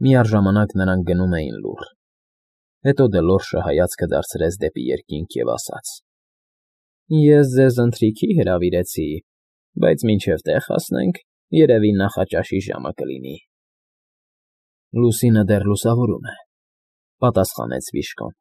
Միառժամանակ նրանք գնում էին լուռ։ Հետո Դելորշը հայացքը դարձրեց դեպի երկինք և ասաց. Ես ձեզ ընթրիքի հրավիրեցի, բայց մինչև տեղ հասնենք, երևի նախաճաշի ժամը կլինի։ Լուսինը դեռ լուսավորում է, պատասխանեց Վիշկոն։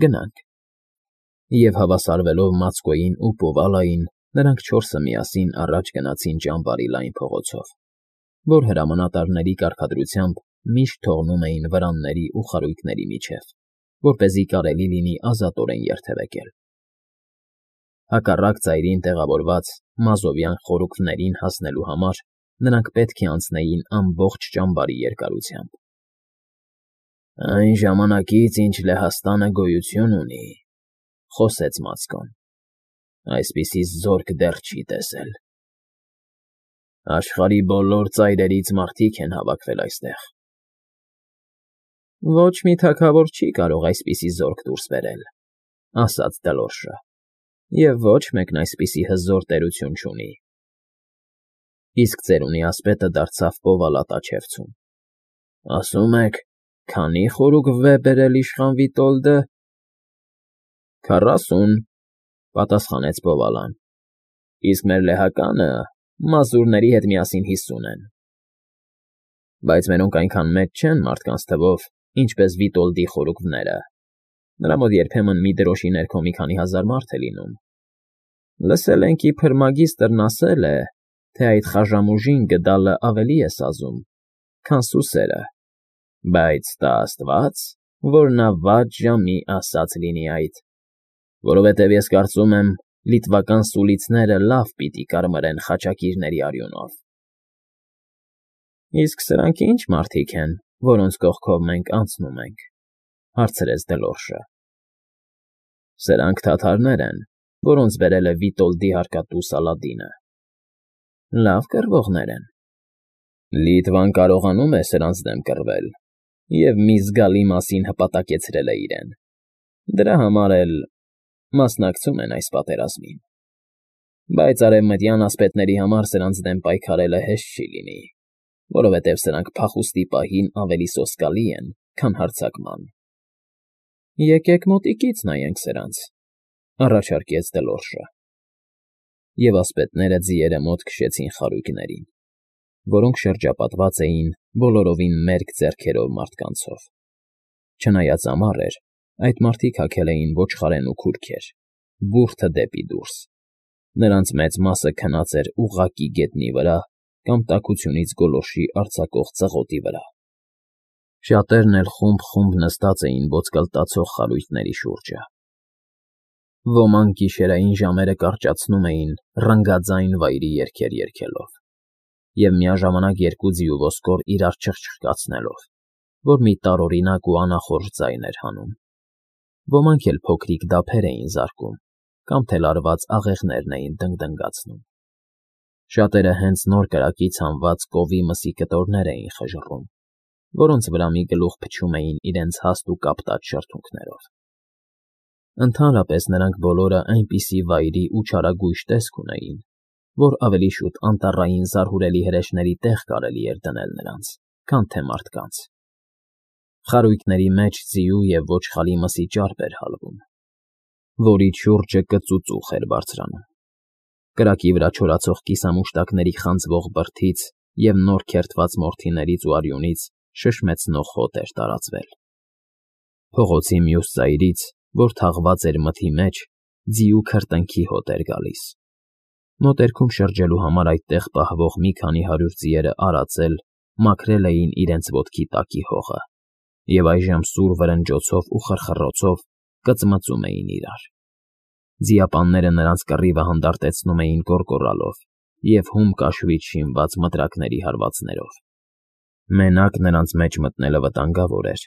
Գնանք։ Եվ հավասարվելով Մացկոյին ու Պուվալային, նրանք չորսը միասին առաջ գնացին ճամբարի լայն փողոցով, որ հրամանատարների կարգադրությամբ միշտ թողնում էին վրանների ու խարույկների միջև, որպեսզի կարելի լինի ազատորեն երթևեկել։ Հակառակ ծայրին տեղավորված մազովյան խորուկներին հասնելու համար նրանք պետք է անցնեին ամբողջ ճամբարի երկարությամբ։ Այն ժամանակից, ինչ Լեհաստանը գոյություն ունի, խոսեց Մացկոն, այսպիսի զորք դեռ չի տեսել։ Աշխարհի բոլոր ծայրերից մարդիկ են հավաքվել այստեղ։ Ոչ մի թագավոր չի կարող այսպիսի զորք դուրս բերել, ասաց Դելորշը, և ոչ մեկն այսպիսի հզոր տերություն չունի։ Իսկ ծերունի ասպետը դարձավ Պովալատաչևցուն։ Ասում եք, քանի՞ խորուկ վեբ բերել իշխան Վիտոլդը։ 40, պատասխանեց Պովալան, իսկ մեր լեհականը մազուրների հետ միասին 50 են։ Բայց մերոնք այնքան մեծ չեն մարդկանց թվով, ինչպես Վիտոլդի խորուկները։ Նրա մոտ երբեմն մի դրոշի ներքո մի քանի հազար մարդ է լինում։ Լսել ենք, իբր մագիստրն ասել է, թե այդ խաժամուժին գդալը ավելի է սազում, քան սուսերը, բայց տա աստված, որ նա վատ ժամի ասած լինի այդ, որովհետև ես կարծում եմ, լիտվական սուլիցները լավ պիտի կարմրեն խաչակիրների արյունով։ Իսկ սրանք ի՞նչ մարդիկ են, որոնց կողքով մենք անցնում ենք, հարցրեց Դելորշը։ Սրանք թաթարներ են, որոնց բերել է Վիտոլդի հարկատու Սալադինը։ Լավ կռվողներ են։ Լիտվան կարողանում է սրանց դեմ կռվել և մի զգալի մասին հպատակեցրել է իրեն։ Դրա համար էլ մասնակցում են այս պատերազմին։ Բայց արևմտյան ասպետների համար սրանց դեմ պայքարելը հեշտ չի լինի, որովհետև սրանք փախուստի պահին ավելի սոսկալի են, քան հարձակման։ Եկեք մոտիկից նայենք սրանց, առաջարկեց Դելորշը։ Եվ ասպետները ձիերը մոտ քշեցին խարույկներին, որոնք շրջապատված էին բոլորովին մերկ ձեռքերով մարդկանցով։ Չնայած ամառ էր, այդ մարդիկ հագել էին ոչխարեն ու քուրքեր, բուրդը դեպի դուրս։ Նրանց մեծ մասը քնած էր ուղղակի գետնի վրա կամ տաքությունից գոլորշի արձակող ծղոտի վրա։ Շատերն էլ խումբ նստած էին ոսկլտացող խարույկների շուրջը։ Ոմանք գիշերային ժամերը կարճացնում էին ռնգաձայն վայրի երգեր երգելով և միաժամանակ երկու ձի ու ոսկոր իրար չխչխկացնելով, որ մի տարօրինակ ու անախորժ ձայն էր հանում։ Ոմանք էլ փոքրիկ դափեր էին զարկում կամ թելարված աղեղներն էին դնգդնգացնում։ Շատերը հենց նոր կրակից հանված կովի մսի կտորներ էին խժռում, որոնց վրա մի գլուխ փչում էին իրենց հաստ ու կապտած շրթունքներով։ Ընդհանրապես նրանք բոլորը այնպիսի վայրի ու չարագույժ տեսք ունեին, որ ավելի շուտ անտառային զարհուրելի հրեշների տեղ կարելի էր դնել նրանց, քան թե մարդկանց։ Խարույկների մեջ ձիու և ոչխարի մսի ճարպ էր հալվում, որի շուրջը կծուծուխ էր բարձրանում։ Կրակի վրա չորացող կիսամուշտակների խանձվող բրդից և նոր քերթված մորթիներից ու արյունից շշմեցնող հոտ էր տարածվել։ Փողոցի մյուս ծայրից, որ թաղված էր մթի մեջ, ձիու քրտինքի հոտ էր գալիս։ Մոտերքում շրջելու համար այդտեղ պահվող մի քանի հարյուր ձիերը արածել, մաքրել էին իրենց ոտքի տակի հողը և այժմ սուր վրնջոցով ու խռխռոցով կծմծում էին իրար։ Ձիապանները նրանց կռիվը հանդարտեցնում էին կոռկոռալով և հում կաշվից շինված մտրակների հարվածներով։ Մենակ նրանց մեջ մտնելը վտանգավոր էր։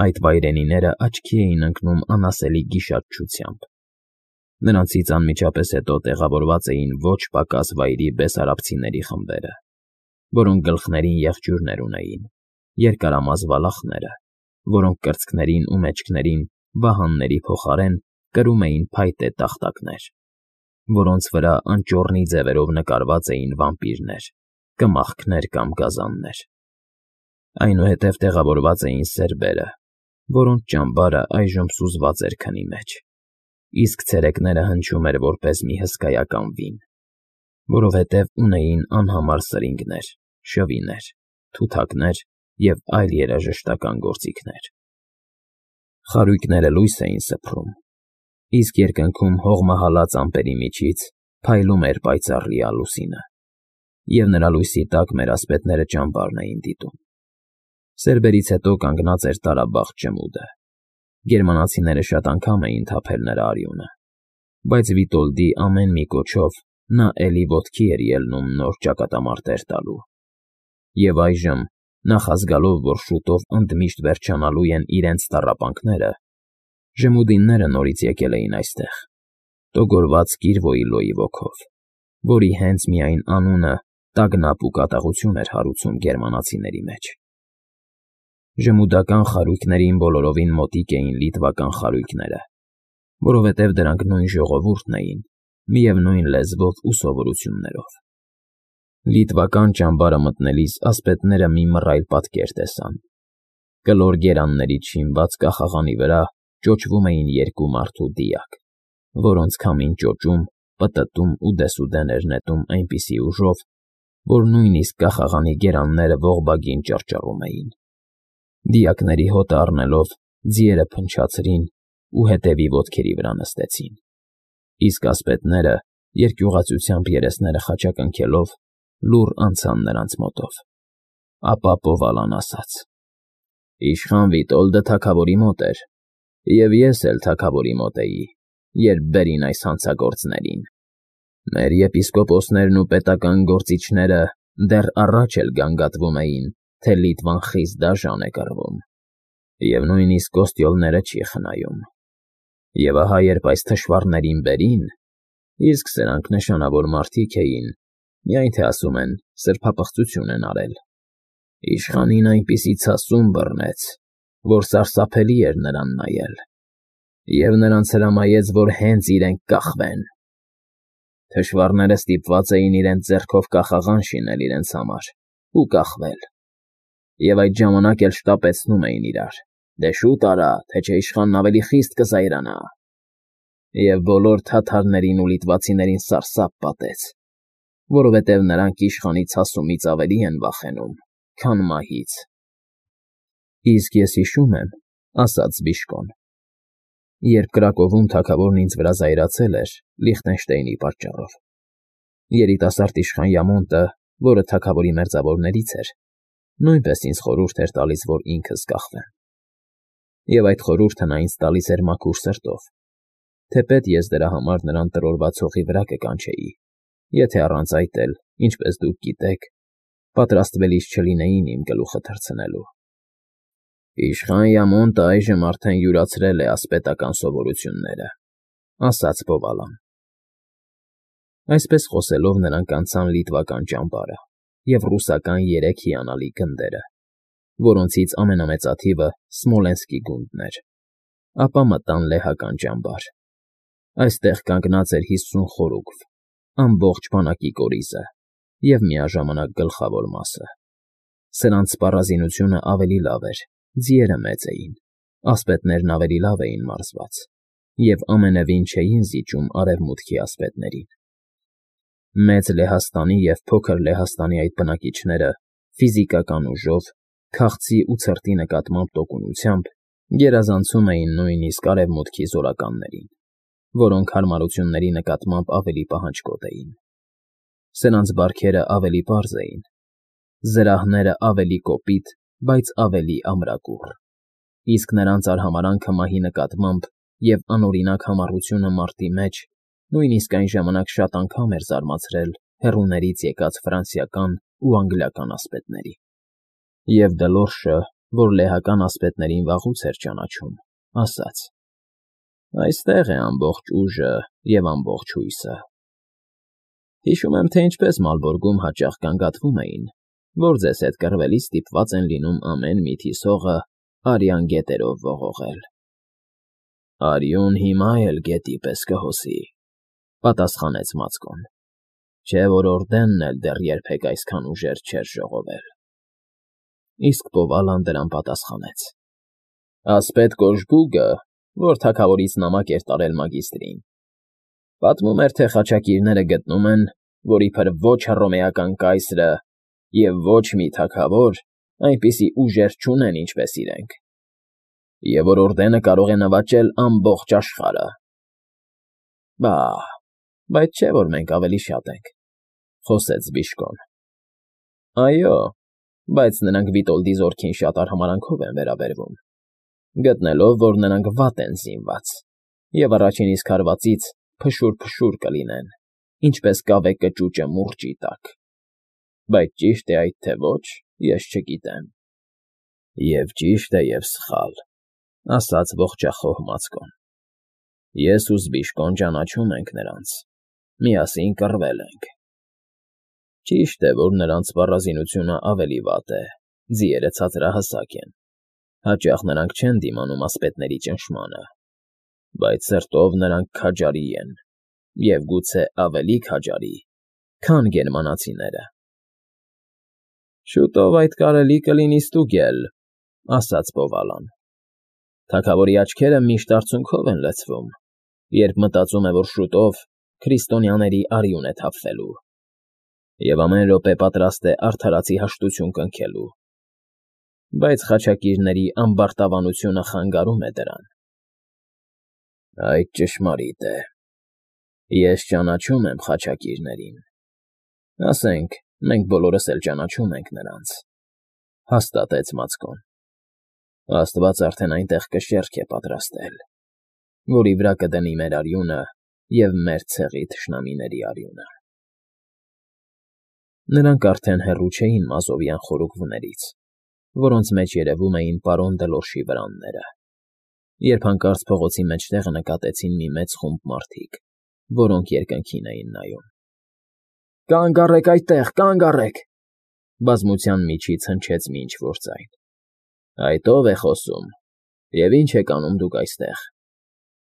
Այդ վայրենիները աչքի էին ընկնում անասելի գիշատչությամբ։ Նրանցից անմիջապես հետո տեղավորված էին ոչ պակաս վայրի բեսարաբցիների խմբերը, որոնք գլխներին եղջյուրներ ունեին, երկարամազ վալախները, որոնք կրծքներին ու մեջքներին վահանների փոխարեն կրում էին փայտե տախտակներ, որոնց վրա անճոռնի ձևերով նկարված էին վամպիրներ, կմախքներ կամ գազաններ։ Այնուհետև տեղավորված էին սերբերը, որոնց ճամբարը այժմ սուզված էր քնի մեջ, իսկ ցերեկները հնչում էր որպես մի հսկայական վին, որովհետև ունեին անհամար սրինգներ, շվիներ, թութակներ և այլ երաժշտական գործիքներ։ Խարույկները լույս էին սփռում, իսկ երկնքում հողմահալած ամպերի միջից փայլում էր պայծառ լիալ լուսինը, և նրա լույսի տակ մեր ասպետները ճամբարն էին դիտում։ Սերբերից հետո կանգնած էր տարաբախտ ջմուդը։ Գերմանացիները շատ անգամ էին թափել նրա արյունը, բայց Վիտոլդի ամեն մի կոչով նա էլի ոտքի էր ելնում նոր ճակատամարտեր տալու։ Եվ այժմ, նախազգալով, որ շուտով ընդմիշտ վերջանալու են իրենց տառապանքները, ժմուդինները նորից եկել էին այստեղ, տոգորված Կիրվոյլոյի ոգով, որի հենց միայն անունը տագնապ ու կատաղություն էր հարուցում գերմանացիների մեջ։ Ժմուդական խարույկներին բոլորովին մոտիկ էին լիտվական խարույկները, որովհետև դրանք նույն ժողովուրդն էին, միևնույն լեզվով ու սովորություններով։ Լիտվական ճամբարը մտնելիս ասպետները մի մռայլ պատկեր տեսան։ Կլոր գերաններից շինված կախաղանի վրա ճոճվում էին երկու մարդու դիակ, որոնց քամին ճոճում, պտտում ու դեսուդեն էր նետում այնպիսի ուժով, որ նույնիսկ կախաղանի գերանները ողբագին ճռճռում էին։ Դիակների հոտը առնելով, ձիերը փնչացրին ու հետևի ոտքերի վրա նստեցին, իսկ ասպետները, երկյուղածությամբ երեսները խաչակնքելով, լուռ անցան նրանց մոտով։ Ապա Պովալան ասաց. «Իշխան Վիտոլդը թագավորի մոտ էր, և ես էլ թագավորի մոտ էի, երբ բերին այս հանցագործներին։ Մեր եպիսկոպոսներն ու պետական գործիչները դեռ առաջ էլ գանգատվում էին, թե Լիտվան խիստ դաժան է կռվում, և նույնիսկ կոստյոլները չի խնայում։ Եվ ահա երբ այս թշվառներին բերին, իսկ սրանք նշանավոր մարդիկ էին, միայն թե ասում են սրբապղծություն են արել, իշխանին այնպիսի ցասում բռնեց, որ սարսափելի էր նրան նայել, և նրանց հրամայեց, որ հենց իրենք կախվեն։ Թշվառները ստիպված էին իրենց ձեռքով կախաղան շինել իրենց համար ու կախվել, և այդ ժամանակ էլ շտապեցնում էին իրար. «Դե շուտ արա, թե չէ իշխանն ավելի խիստ կզայրանա»։ Եվ բոլոր թաթարներին ու լիտվացիներին սարսափ պատեց, որովհետև նրանք իշխանի ցասումից ավելի են վախենում, քան մահից։ Իսկ ես հիշում եմ, ասաց Բիշկոն, երբ Կրակովում թագավորն ինձ վրա զայրացել էր Լիխտենշտեյնի պատճառով, երիտասարդ իշխան Յամոնտը, որը թագավորի մերձավորներից էր, նույնպես ինձ խորհուրդ էր տալիս, որ ինքս կախվեմ։ Եվ այդ խորհուրդը նա ինձ տալիս էր մաքուր սրտով, թեպետ ես դրա համար նրան տրորված հողի վրա կկանչեի, եթե առանց այդ էլ, ինչպես դուք գիտեք, պատրաստվելիս չլինեին իմ գլուխը թռցնելու։ Իշխան Յամոնտը այժմ արդեն յուրացրել է ասպետական սովորությունները, ասաց Պովալան։ Այսպես խոսելով նրանք անցան լիտվական ճամբարը և ռուսական 3 հիանալի գնդերը, որոնցից ամենամեծաթիվը Սմոլենսկի գունդն էր, ապա մտան լեհական ճամբար։ Այստեղ կանգնած էր 50 խորուգվ, ամբողջ բանակի կորիզը և միաժամանակ գլխավոր մասը։ Սրանց սպառազինությունը ավելի լավ էր, ձիերը մեծ էին, ասպետներն ավելի լավ էին մարզված և ամենևին չէին զիջում արևմուտքի ասպետներին։ Մեծ Լեհաստանի և Փոքր Լեհաստանի այդ բնակիչները ֆիզիկական ուժով, քաղցի ու ցրտի նկատմամբ տոկունությամբ գերազանցում էին նույնիսկ արևմուտքի զորականներին, որոնք հարմարությունների նկատմամբ ավելի պահանջկոտ էին։ Սրանց բարքերը ավելի պարզ էին, զրահները ավելի կոպիտ, բայց ավելի ամրակուռ, իսկ նրանց արհամարանքը մահի նկատմամբ և անօրինակ համառությունը մարտի մեջ նույնիսկ այն ժամանակ շատ անգամ էր զարմացրել հեռուներից եկած ֆրանսիական ու անգլիական ասպետների։ Եվ Դլորշը, որ լեհական ասպետներին վաղուց էր ճանաչում, ասաց. «Այստեղ է ամբողջ ուժը և ամբողջ հույսը»։ Հիշում եմ, թե ինչպես Մալբորգում հաճախ գանգատվում էին, որ ձեզ հետ կռվելիս ստիպված են լինում ամեն մի թիսողը արյան գետերով ողողել։ «Արյուն հիմա էլ գետի պես կհոսի», պատասխանեց Մացկոն, «չէ որ Օրդենն էլ դեռ երբեք այսքան ուժեր չէր ժողովել»։ Իսկ Պովալան դրան պատասխանեց. Ասպետ Կոժբուգը, որ թագավորից նամակ էր տարել մագիստրին, պատմում էր, թե խաչակիրները գտնում են, որ իբր ոչ հռոմեական կայսրը և ոչ մի թագավոր այնպիսի ուժեր չունեն, ինչպես իրենք, և որ օրդենը կարող է նվաճել ամբողջ աշխարհը։ Բայց չէ՞ որ մենք ավելի շատ ենք,֊ խոսեց Բիշկոն։ Այո, բայց նրանք Վիտոլդի զորքին շատ արհամարհանքով են վերաբերվում, գտնելով, որ նրանք վատ են զինված և առաջին իսկ հարվածից փշուր կլինեն, ինչպես կավե կճուճը մուրճի տակ։ Բայց ճի՞շտ է այդ, թե ոչ, ես չգիտեմ։ Եվ ճիշտ է, և սխալ,֊ ասաց ողջախոհ Մացկոն։ Ես ու Զբիշկոն ճանաչում ենք նրանց, միասին կռվել ենք։ Ճիշտ է, որ նրանց սպառազինությունը ավելի վատ է, ձիերը ցածրահասակ են, հաճախ նրանք չեն դիմանում ասպետների ճնշմանը, բայց սրտով նրանք քաջարի են, և գուցե ավելի քաջարի, քան գերմանացիները։ Շուտով այդ կարելի կլինի ստուգել,֊ ասաց Պովալան։ Թագավորի աչքերը միշտ արցունքով են լցվում, երբ մտածում է, որ շուտով քրիստոնյաների արյուն է թափվելու, և ամեն րոպե պատրաստ է արդարացի հաշտություն կնքելու, բայց խաչակիրների ամբարտավանությունը խանգարում է դրան։ Այդ ճշմարիտ է։ Ես ճանաչում եմ խաչակիրներին, ասենք, մենք բոլորս էլ ճանաչում ենք նրանց,֊ հաստատեց Մացկոն։ Աստված արդեն այնտեղ կշեռք է պատրաստել, որի վրա կդնի մեր արյունը և մեր ցեղի թշնամիների արյունը։ Նրանք արդեն հեռու չէին մազովյան խորուկներից, որոնց մեջ երևում էին պարոն Դելորշի վրանները, երբ հանկարծ փողոցի մեջտեղը նկատեցին մի մեծ խումբ մարդիկ, որոնք երկնքին էին նայում։ Կանգ առեք այդտեղ, կանգ առեք,֊ բազմության միջից հնչեց մի ինչ֊որ ձայն։ Այդ ո՞վ է խոսում, և ի՞նչ եք անում դուք այստեղ,֊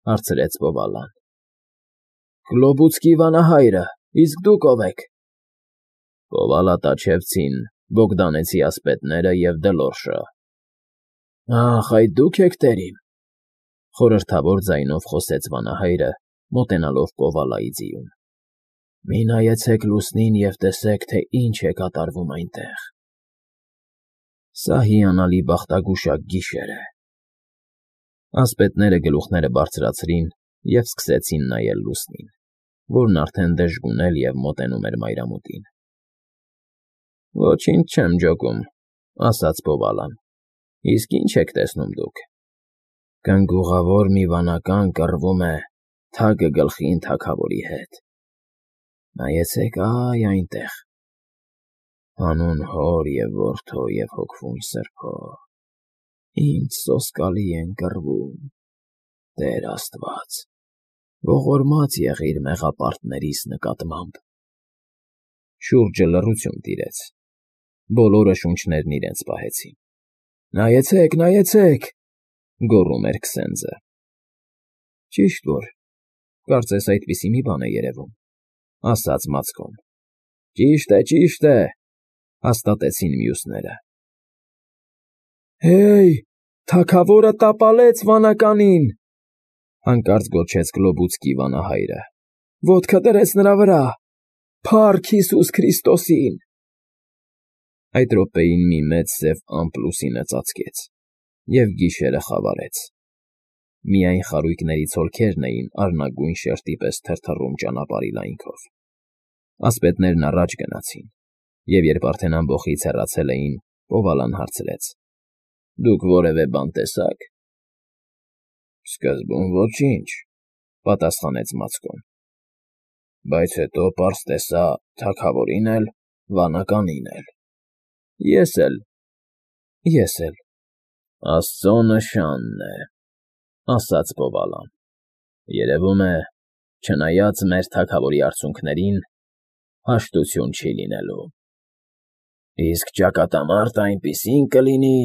հարցրեց Պովալան։ Գլոբուցկի վանահայրը, իսկ դուք ով եք։ Պովալա֊Տաչևցին, Բոգդանեցի ասպետները և Դելորշը։ Ախ, այդ դուք եք, տերիմ,֊ խորհրդավոր ձայնով խոսեց վանահայրը, մոտենալով Պովալայի ձիուն։ Մի նայեցեք լուսնին և տեսեք, թե ինչ է կատարվում այնտեղ։ Սա հիանալի բախտագուշակ գիշեր է։ Ասպետները գլուխները բարձրացրին և սկսեցին նայել լուսնին, որն արդեն դժգունել և մոտենում էր մայրամուտին։ Ոչինչ չեմ ջոկում,֊ ասաց Պովալան։ Իսկ ի՞նչ եք տեսնում դուք։ Կնգուղավոր մի վանական կռվում է թագը գլխին թագավորի հետ։ Նայեցեք այնտեղ, հանուն Հոր և Որդու և Հոգևոր Սրբո, ինչ սոսկալի են կռվում, Տեր Աստված, ողորմած եղիր մեղապարտներիս նկատմամբ։ Շուրջը լռություն տիրեց։ Բոլորը շունչներն իրենց պահեցին։ Նայեցեք, նայեցեք,֊ գոռում էր Քսենձը։ Ճիշտ որ, կարծես այդպիսի մի բան է երևում,֊ ասաց Մացկոն։ Ճիշտ է,֊ հաստատեցին մյուսները։ Հեյ, թագավորը տապալեց վանականին,֊ հանկարծ գոչեց Գլոբուցկի վանահայրը։ Ոտքը դրեց նրա վրա։ Փառք Հիսուս Քրիստոսին։ Այդ րոպեին մի մեծ սև ամպ լուսինը ծածկեց, և գիշերը խավարեց։ Միայն խարույկների ցոլքերն էին արնագույն շերտի պես թրթռում ճանապարհի լայնքով։ Ասպետներն առաջ գնացին, և երբ արդեն ամբոխից հեռացել էին, Պովալան հարցրեց. Դուք որևէ բան տեսա՞ք։ Սկզբում ոչինչ,֊ պատասխանեց Մացկոն։ Բայց հետո պարզ տեսա թագավորին էլ, վանականին էլ։ Ես էլ,֊ Աստծո նշանն է,֊ ասաց Պովալան։ Երևում է, չնայած մեր թագավորի արցունքներին, հաշտություն չի լինելու։ Իսկ ճակատամարտ այնպիսին կլինի,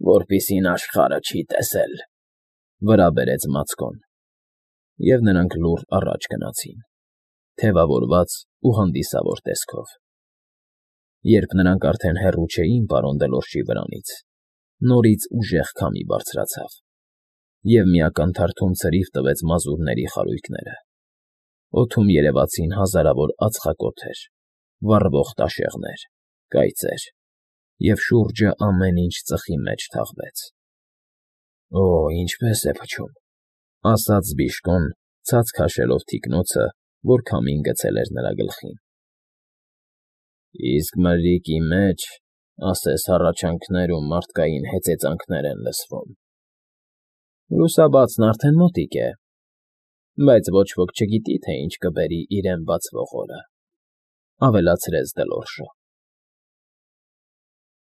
որպիսին աշխարհը չի տեսել,֊ վրա բերեց Մացկոն, և նրանք լուռ առաջ գնացին, թևավորված ու հանդիսավոր տեսքով։ Երբ նրանք արդեն հեռու չէին պարոն Դելորշի վրանից, նորից ուժեղ քամի բարձրացավ, և մի ակնթարթում ցրիվ տվեց մազուրների խարույկները. օդում երևացին հազարավոր ածխակոթեր, վառվող տաշեղներ, կայծեր, և շուրջը ամեն ինչ ծխի մեջ թաղվեց։ «Օ, ինչպե՜ս է փչում,֊ ասաց Բիժկոն, ցած քաշելով թիկնոցը, որ քամին գցել էր նրա գլխին։ Իսկ մրրիկի մեջ, ասես հառաչանքներ ու մարդկային հեծեծանքներ են լսվում։ Լուսաբացն արդեն մոտիկ է, բայց ոչ ոք չգիտի, թե ինչ կբերի իրեն բացվող օրը,֊ ավելացրեց Դելորշը։